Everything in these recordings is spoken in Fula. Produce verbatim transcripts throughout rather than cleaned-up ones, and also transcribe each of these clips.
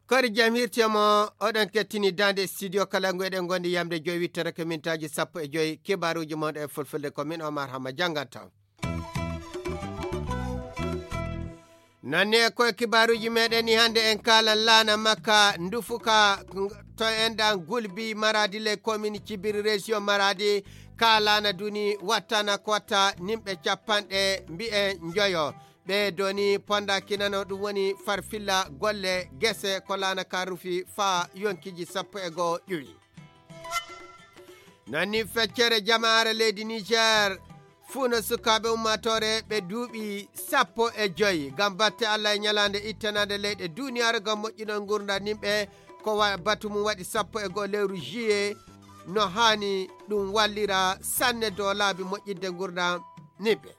Kori jam hirtiyama, oɗon kettini dande studio kala ngu eɗen gondi yamde joyi wittere ko mintaaji sappo e joyi, kibaruji mon e fulfulde ko min Omar Hamma jangata. Nanni e koye kibaruji meɗen ni hande en kala laana makka ndufuka to enɗan gulbi maradi le commune cibiri région maradi ka laana duni wattana ko watta nimɓe capanɗe mbi'en njoyo. Ɓe doni ponda kinano ɗum woni farfilla golle gese ko laana ka rufi fa yonkiji sappo e goo ƴuwi. Nanni feccere jamaare leydi Niger fuu no sukaaɓe ummaatoore ɓe duuɓi sappo e joyi ngam batte Allah e ñalaande ittanande leyɗe duniyaaru ngam moƴƴinol ngurndam nimɓe ko wa- batu mum waɗi sappo e goo lewru juillet no haani ɗum wallira sanne dow laabi moƴƴinde ngurndam nimɓe.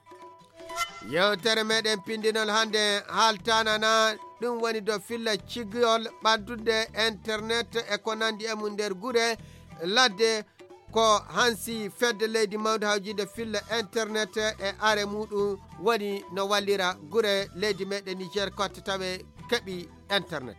Yewtere meɗen pindinol hande haltanana ɗum woni do filla cigiyol ɓaddude internet e ko nandi e mum nder gure ladde ko hansi fedde leydi mawde hawjinde filla internet e are muɗum woni no wallira gure leydi meɗen Niger kotte tawe keɓi internet.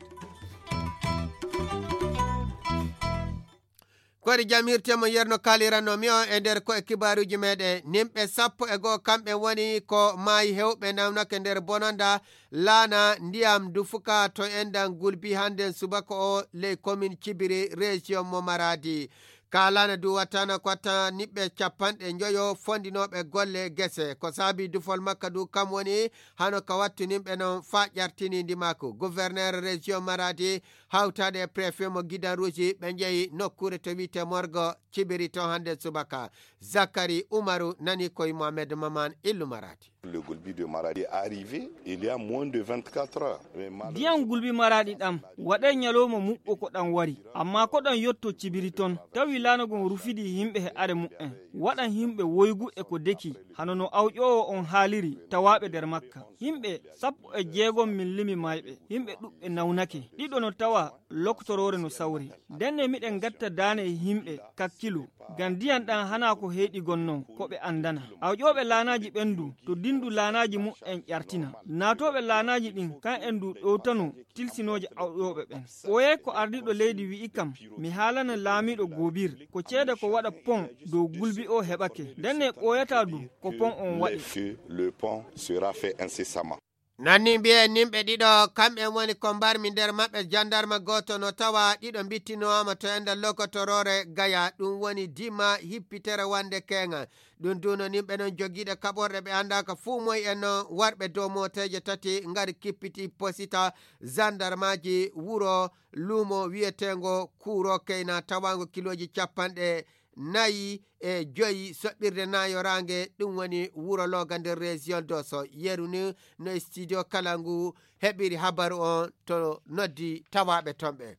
Kori jam hirtemo yerno kaliranno mi on e nder ko e kibaruji meɗen nimɓe sappo e goo kamɓe woni ko maayi hewɓe nawnake nder bononda laana ndiyam dufuka to endan gulbi handen subaka o ley commune cibiri région mo maradi. Ka laana du wattana ko watta niɓɓe capanɗe njoyo fondinoɓe golle gese ko saabi dufol makka du kam woni hano ka wattu nimɓe non fa ƴartini ndimaku gouverneur région maradi hawtaade e préfet mo gidan rouge ɓe njehi nokkuure to wiyte morgo cibiri to hannde subaka. Zakari umaru nani koye mohamed maman illu maradi. Le golbi de maradi est arrivé il y a moins de vingt-quatre heures. Mais malheureusement- Ndiyan gulbi maraɗi ɗam waɗay ñalowma muɓɓo ko ɗam wari amma ko ɗam yotto cibiri ton tawi laanagon rufidi yimɓe he are muɓɓen waɗan yimɓe woygu e ko deki hano no awƴoowo on haaliri tawaaɓe nder makka yimɓe sappo e jeegom min limi mayɓe yimɓe ɗuɓɓe nawnake ɗiɗo no tawa loktoroore no sawri ndenne miɗen gatta daane e yimɓe kakkilu ngam ndiyan ɗan hana ko heyɗi gonnon ko ɓe andana awƴooɓe laanaaji ɓen du to dindu laanaaji mu'en ƴartina naatooɓe laanaaji ɗin kan en du ɗowtano tilsinooje awƴooɓe ɓen ɓooyay ko ardiiɗo leydi wi'i kam mi haalana laamiiɗo goobir ko ceede ko waɗa pon dow gulbi o heɓake ndenne ɓooyataa du ko pon on waɗi. Le pont sera fait incessamment. Nanni mbiyen nimɓe ɗiɗo kamɓe woni ko mbarmi nder maɓɓe jandarma gooto no tawa ɗiɗo mbittinoama to enda lokotoroore gaya ɗum woni dima hippitere wande keŋa. Ɗum duno nimɓe non jogiiɗe kaɓorɗe ɓe anndaka fuu moy en non warɓe dow mooteeje tati ngari kippiti posita zandarmaji wuro luumo wiyeteengo kuuro keyna tawaango kilooji capanɗe nayi e joyi soɓɓirde nayoraange ɗum woni wuro looga nder région doso yeru ni no e studio kala ngu heɓiri habaru on to noddi tawaaɓe ton ɓe.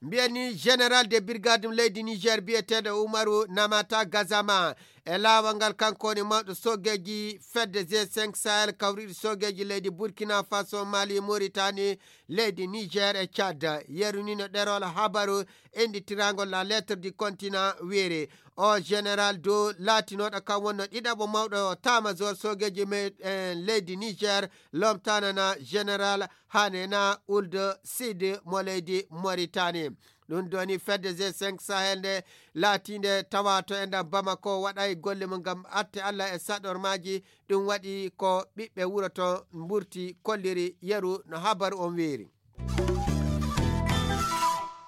Mbiyani général de brigade ɗum leydi niger biyeteeɗo umaru namata gazama e laawol ngal kanko woni mawɗo sogeeji fedde g cinq sahel kawriɗo sogeeji leydi burkina faso mali mauritanie leydi niger e tchad. Yeru ni no ɗerol habaru enditirangol la lettre du continent weeri o général do laatinoɗo kam wonno ɗiɗaɓo mawɗo tamajor sogeji me en leydi niger lomtanana général hanena ulde side mo leydi mauritanie. Ɗum doni fedde g cinq sahel nde laatinde tawa to e nder bamako waɗay golle mum ngam atte allah e saɗormaji. Ɗum waɗi ko ɓiɓɓe wuro to mburti kolliri yeru no habaru on weeri.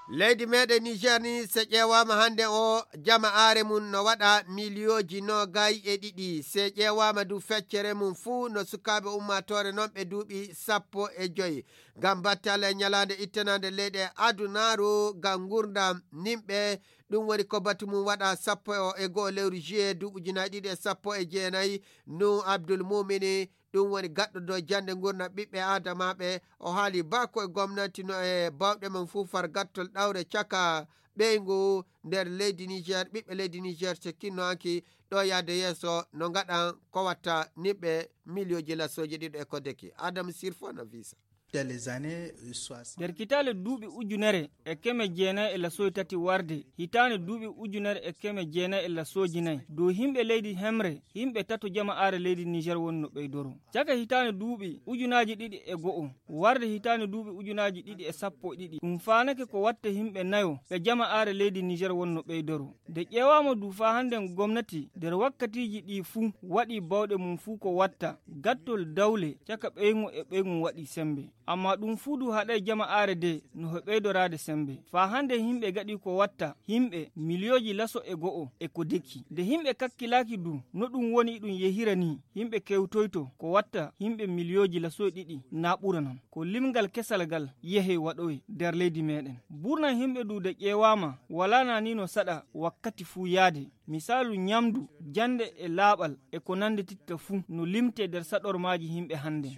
Leydi meɗen niger ni so ƴeewama hannde o jama are mum no waɗa miliyooji noogay e ɗiɗi so ƴeewama du feccere mum fuu no sukaaɓe ummatore noon ɓe duuɓi sappo e joyi ngam battale e ñalaande ittanande leyɗe adunaaru ngam ngurdam nimɓe. Ɗum woni ko batu mum waɗa sappo e goo lewru juillet duuɓi ujunaaji ɗiɗi e sappo e jeenayi. Nu abdul mumini ɗum woni gaɗɗo dow jannde ngurnam ɓiɓɓe aadamaaɓe. O haali baako e gomnanti no e baawɗe mum fuu far gattol ɗawre caka ɓeyngu nder leydi niger ɓiɓɓe leydi niger so kinno hanki ɗo yahde yeeso no ngaɗan ko watta nimɓe miliyooji lassooji ɗiɗo e ko deki adamu sirfo no visa. Dans les années soixante. Nder kitaale duuɓi ujunere e keme jeenayi e lasoy tati warde hitaande duuɓi ujunere e keme jeenayi e lasooji nayi, dow yimɓe leydi Hemre, yimɓe tato jama'aare leydi Niger woni no ɓeydoro. Caka hitaande duuɓi ujunaaji ɗiɗi e go'o warde hitaande duuɓi ujunaaji ɗiɗi e sappo e ɗiɗi, ɗum faanake ko watta yimɓe nayo ɓe jama'aare leydi Niger woni no ɓeydoro. Nde ƴeewaama du faa hannden gomnati nder wakkatiiji ɗii fuu waɗii baawɗe mum fuu ko watta gattol dawle caka ɓeyŋu e ɓeyŋu waɗii semmbe. Ammaa ɗum fuu du haɗay jama'aare de no he ɓeydoraade semmbe. Faa hannden yimɓe gaɗii ko watta yimɓe miliyooji laso e go'o e ko deki. Nde yimɓe kakkilaaki du no ɗum woni ɗum yehira nii, yimɓe kewtoyto ko watta yimɓe miliyooji laso e ɗiɗi naa ɓura non. Ko limgal kesal ngal yehey waɗoy nder leydi meeɗen. Burna yimɓe du de ƴeewaama walaa naa nii no saɗa wakkati fuu yaade. Misaalu ñamdu, jannde e laaɓal e ko nanndititta fuu no limtee nder saɗormaaji yimɓe hannde.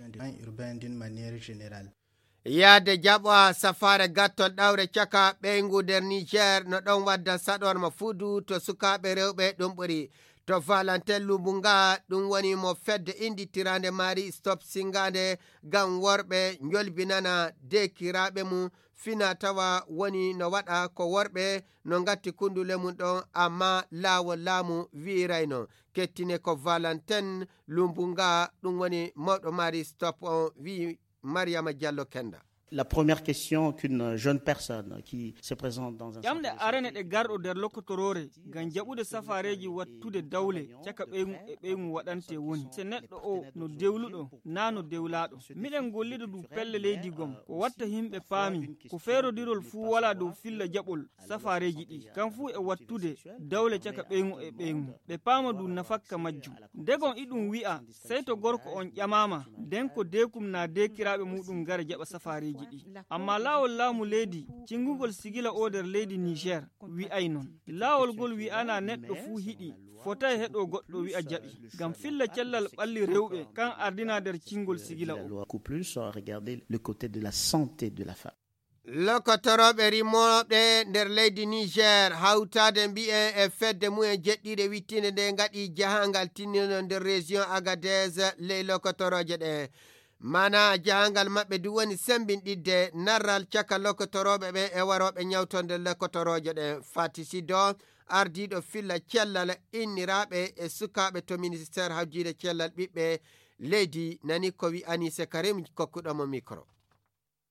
Urbain d'une manière générale. Yaade jaɓa safaare gattol ɗawre caka ɓeyngu nder Niger no ɗon wadda saɗorma fuudu to sukaaɓe rewɓe ɗum ɓuri. To Valentin Lumbunga ɗum woni mo fedde innditiraande Marie Stop singaande ngam worɓe njolbinana deekiraaɓe mum fina tawa woni no waɗa ko worɓe no ngatti kundule mum ɗon, amma laawol laamu wi'irayno. Kettine ko Valentin Lumbunga ɗum woni mawɗo Marie Stop on wi'i Mariama Diallo Kenda. La première question qu'une jeune personne qui se présente dans un ƴamɗe centre de arene santé ɗe garɗo nder lokotoroore ngam jaɓude safaareeji wattude dawle caka ɓeyŋu e ɓeyŋu waɗante woni se neɗɗo o no dewluɗo naa no dewlaaɗo. Miɗen gollida du pelle leydi gom ko watta yimɓe paami ko feerodirol fuu walaa dow filla jaɓol safaareeji ɗi kam fuu e wattude dawle caka ɓeyŋu e ɓeyŋu ɓe paama du nafakka majjum. Ndegon iɗum wi'a sey to gorko on ƴamaama nden ko deekum naa deekiraaɓe muɗum ngara jaɓa safaareeji ɗi. Ammaa laawol laamu leydi cingugol sigila o nder leydi Niger wi'ay non. Laawol ngol wi'anaa neɗɗo fuu hiɗi fotay heɗo goɗɗo wi'a jaɓi ngam filla cellal ɓalli rewɓe kan ardinaa nder cingol sigila o. Beaucoup plus, euh, regarder le côté de la santé de la femme. Lokotorooɓe rimooɓe nder leydi Niger hawtaade mbi'en e fedde mumen jeɗɗiire wittiinde nde ngaɗi jahangal tinniino nder région Agadez ley lokotorooje ɗe. Mana jahangal maɓɓe du woni sembinɗidde narral caka lokotorooɓe ɓen e warooɓe ñawtonde lokotorooje ɗen. Fati Sido, ardiiɗo filla cellal inniraaɓe e sukaaɓe to ministère hawjiide cellal ɓiɓɓe leydi, nani ko wi Anise Karim kokkuɗo mo micro.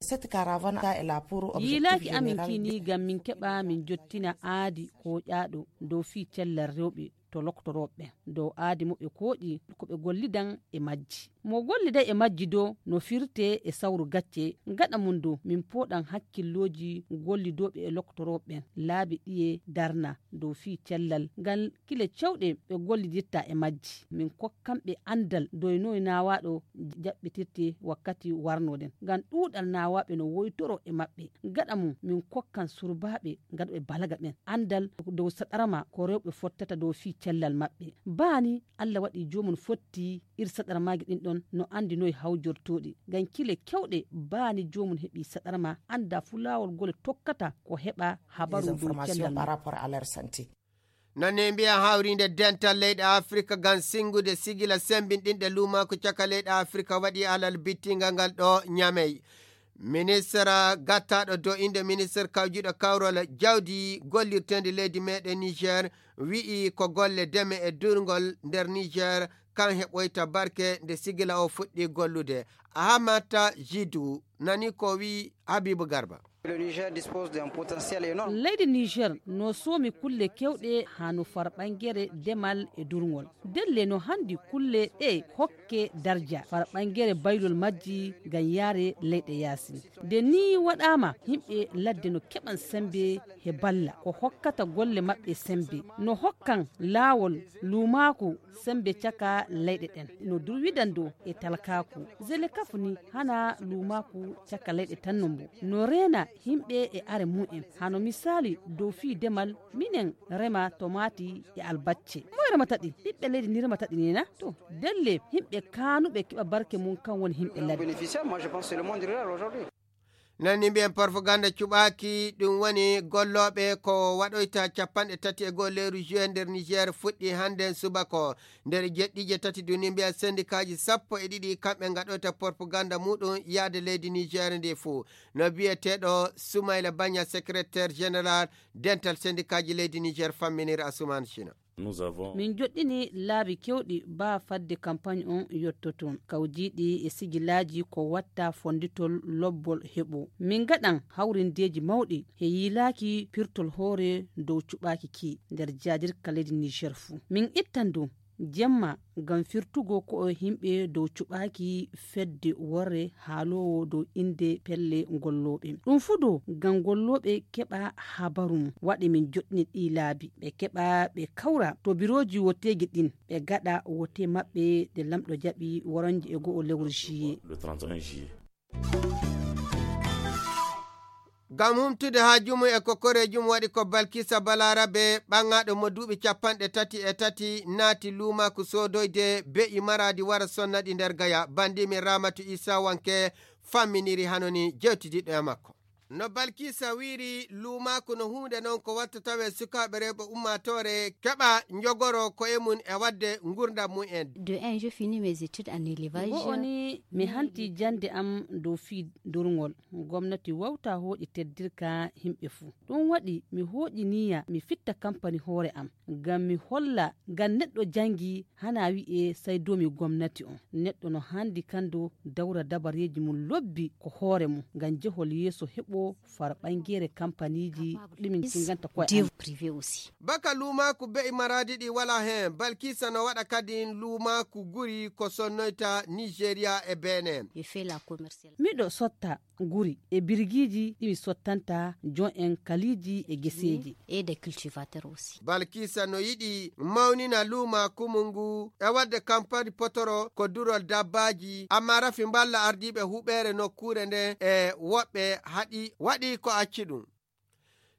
Cette caravane est là pour objectif yiilaaki amin général. Kini ngam min keɓa min jottina aadi kooƴaaɗo dow fii cellal rewɓe to loktorooɓe ɓen dow aadi mo ɓe kooƴi ko ɓe gollidan e majji. Mo golliday e majji dow no firtee e sawru gacce. Gaɗa mum dow min pooɗan hakkillooji gollidooɓe e loktorooɓe ɓen laabi ɗiye darna dow fii cellal ngal kile cewɗe ɓe gollidirta e majji. Min kokkan ɓe anndal dow noy naawaaɗo jaɓɓitirte wakkati warnooɗen ngam ɗuuɗal naawaaɓe no woytoroo e maɓɓe. Gaɗa mum min kokkan surbaaɓe gaɗuɓe balaga ɓen anndal dow saɗarma ko rewɓe fottata dow fii cellal maɓɓe. Baani Allah waɗi joomum fotti ir saɗarmaaji ɗin ɗon no anndi noy hawjortooɗi ngam kile kewɗe. Baani joomum heɓi saɗarma annda fu laawol gole tokkata ko heɓa habaru dow cellal par rapport à leur santé. Nane mbiya hawrinde dental leyɗe Afrika ngam singude sigila sembinɗinɗe luumaaku caka leyɗe Afrika waɗi alal bittingal ngal ɗo Ñamey. Minister gattaɗo do inde minister kawjuɗo kawrol jawdi gollirtendi leydi meɗen Niger wi'i ko golle deme e durngol nder Niger kan heɓoyta barke nde sigila o fuɗɗi gollude. Ahamata Jidu nani ko wi Habibu Garba. Leydi Niger no soomi kulle kewɗe haa no far ɓangere demal e durngol. Delle no handi kulle ɗe hokke darja far ɓangere baylol majji ngam yaare leyɗe yaasi. Nde ni waɗaama, yimɓe ladde no keɓan sembe he balla ko hokkata golle maɓɓe sembe. No hokkan laawol luumaaku sembe caka leyɗe ɗen. No durwidan dow e talkaaku. Zelekafu ni hana luumaaku caka leyɗe tan no mbo. No reena yimɓe e are mu'en. Hano misaali dow fii demal, minen rema tomaati e albacce. Moy remata ɗi? Ɓiɓɓe leydi ni remata ɗi ni na? To, delle yimɓe kaanuɓe keɓa barke mum kan woni yimɓe ladde. Nani mbiyen propaganda cuɓaaki, ɗum woni gollooɓe ko waɗoyta capanɗe tati e goo lewru juin nder Niger fuɗɗi hannden subaka o. Nder jeɗɗiije tati duni mbiya sendikaaji sappo e ɗiɗi kamɓe ngaɗoyta propaganda muɗum yaade leydi Niger ndi fuu. No biyeteeɗo Soumaïla Bagna, secrétaire général dental sendikaaji leydi Niger famminiri Asuman China. Min joɗɗini laabi kewɗi baa fadde kampaañ on yottoton, kawjiiɗi e sigilaaji ko watta fonnditol lobbol heɓo. Min ngaɗan hawrindeeji mawɗi he yiilaaki pirtol hoore dow cuɓaaki ki nder jaadirka leydi Niger fuu. Min ittan du jemma ngam firtugo ko'e himɓe dow cuɓaaki fedde worre haaloowo dow innde pelle gollooɓe. Ɗum fuu dow ngam gollooɓe keɓa habaru mum. Waɗi min joɗɗini ɗii laabi. Ɓe keɓa ɓe kawra to birooji woteeji ɗin. Ɓe gaɗa wote maɓɓe ɗe lamɗo jaɓi woronje e go'o lewru juillet. Ngam humtude haaju mum e kokoreeji mum waɗi ko Balkisa Balarabe ɓaŋaaɗo mo duuɓi capanɗe tati e tati naati luumaaku soodoyde be'i maraadi wara sonna ɗi nder gaya. Banndi min Ramatu Isa Wanke famminiri hano ni jewtidiɗɗo e makko. No Balkisa wiiri, luumaaku no huunde non ko watta tawe sukaaɓe rewɓe ummaatoore keɓa njogoro ko'e mum e waɗde nguurndam mum en. De un, je finis mes études en élevage. Go'o ni mi hanti jannde am dow fii durngol. Gomnati wawta hooƴi teddirka himɓe fuu. Ɗum waɗi mi hooƴi niyya mi fitta kampani hoore am. Ngam mi holla ngam neɗɗo janngi hana wi'e sai doomi gomnati on. Neɗɗo no handi kando dawra dabareeji mum lobbi ko hoore mum ngam jehol yeeso heɓo far ɓangeere kampaniiji ɗi min cinganta koye amin. Baka luumaaku be'i maraadi ɗi wala heen, Balkisa no waɗa kadi luumaaku guri ko sonnoyta Nigeria e Benin. Miɗo sotta guri e birgiiji ɗi mi sottanta jon en kaliiji e geseeji. Balkisa no yiɗi mawnina luumaaku mum ngu e waɗde kampani potoro ko durol dabbaaji, amma rafi mballa ardiiɓe huɓeere nokkuure nden e woɓɓe haɗi waɗi ko acci ɗum.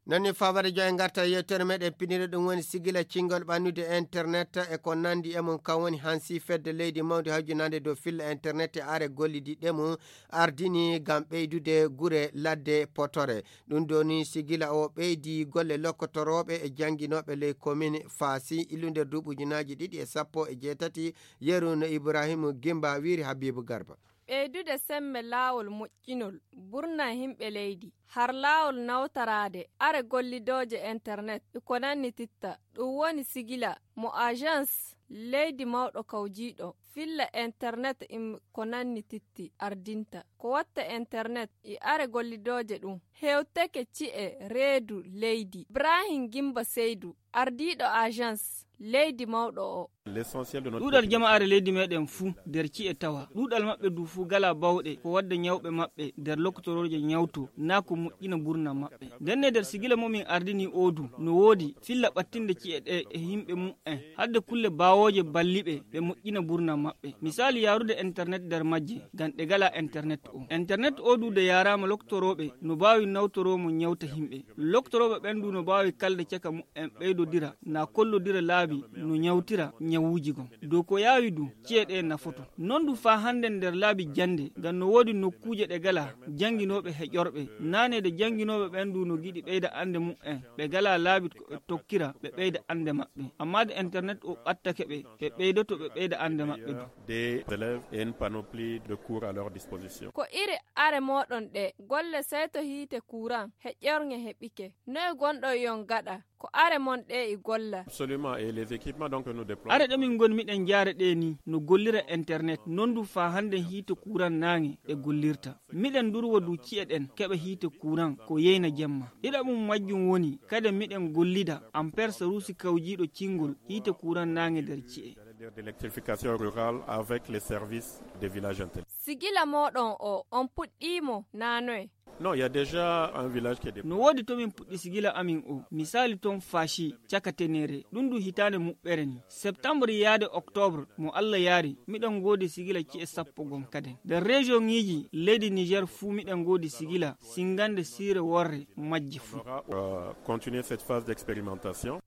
Nani fawade jo en ngarta yewtere meɗen pinire ɗum woni sigila cingol ɓannude internet e ko nandi e mum kan woni hansi fedde leydi mawndi hawjinande dow filla internet e are gollidi ɗe mum ardini ngam ɓeydude gure ladde potore. Ɗum ɗo ni sigila o ɓeydi golle lokkotorooɓe e jannginooɓe ley komin Faasi ilu nder duuɓi ujunaaji ɗiɗi e sappo e jeetati yeru no Ibrahim Gimba wiiri Habibu Garba. Ɓeydude semme laawol moƴƴinol burna himɓe leydi, har laawol nawtaraade are gollidooje internet e ko nanni titta. Ɗum woni sigila mo agence leydi mawɗo kawjiiɗo filla internet e ko nanni titti ardinta. Ko watta internet e are gollidooje ɗum hewteke ci'e reedu leydi. Ibrahim Gimba Seydu, ardiiɗo agence leydi mawɗo o. Ɗuuɗal jama'aare leydi meɗen fuu nder ci'e tawa. Ɗuuɗal maɓɓe du fuu gala bawɗe ko wadda ñawɓe maɓɓe nder lokotorooje ñawto naa ko moƴƴina burna maɓɓe. Ndenne nder sigila mo min ardini o du no woodi filla ɓattinde ci'e ɗe e yimɓe mum'en hadde kulle bawooje balliɓe ɓe moƴƴina burna maɓɓe. Misaali yaarude internet nder majje ngam ɗe gala internet o. Internet o du de yaaraama lokotorooɓe no baawi nawtoroo mo ñawta yimɓe. Lokotorooɓe ɓen du no baawi kalde caka mum'en ɓeydodira na kollodira laabi no ñawtira ñawuuji gon. Dow ko yaawi du ci'e ɗe nafoto. Non du faa hannden nder laabi jannde ngam no woodi nokkuuje ɗe gala jannginooɓe heƴorɓe. Naane de jannginooɓe ɓen du no giɗi ɓeyda annde mum'en ɓe gala laabi ko ɓe tokkira ɓe ɓeyda annde maɓɓe. Amma de internet o ɓattake ɓe ɓe ɓeydoto ɓe ɓeyda annde maɓɓe du. Des élèves et une panoplie de cours à leur disposition. Ko iri are mooɗon ɗe golle sey to hiite kuran heƴorŋe heɓike. Noy gonɗon yon gaɗa ko are mon ɗe e golla? Absolument, et les équipements donc que nous déployons. Are ɗo min ngoni miɗen jaare ɗe ni no gollira internet non du faa hannde hiite kuran naange ɗe gollirta. Miɗen durwa du ci'e ɗen keɓa hiite kuran ko yeyna jemma. Ɗiɗaɓum majjum woni kadi miɗen gollida ampersa ruusi kawjiiɗo cingol hiite kuran naange nder ci'e. D'électrification rurale avec les services des villages intelligents. Sigila mooɗon o on puɗɗiimo naa noye? Non, il y a déjà un village qui est déployé. No woodi to min puɗɗi sigila amin o. Misaali ton Fashi caka Tenere. Ɗum du hitaande muɓɓere ni. Septembre yaade octobre mo Allah yaari miɗen ngoodi sigila ci'e sappo gon kaden. Nder région ŋiiji leydi Niger fuu miɗen ngoodi sigila singande siire worre majje fuu. On va, euh, continuer cette phase d'expérimentation.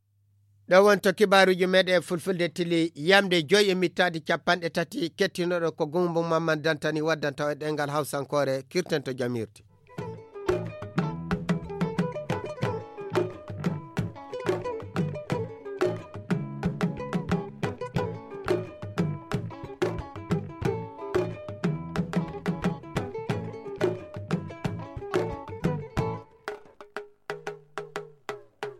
Ɗo wonto kibaaruuji meɗen e fulfulde tili yamde joyi e mittaadi capanɗe tati kettinoɗo ko Gumbo Mamman Dantani waddanta o e ɗengal hawsankoore kirten to jamirde.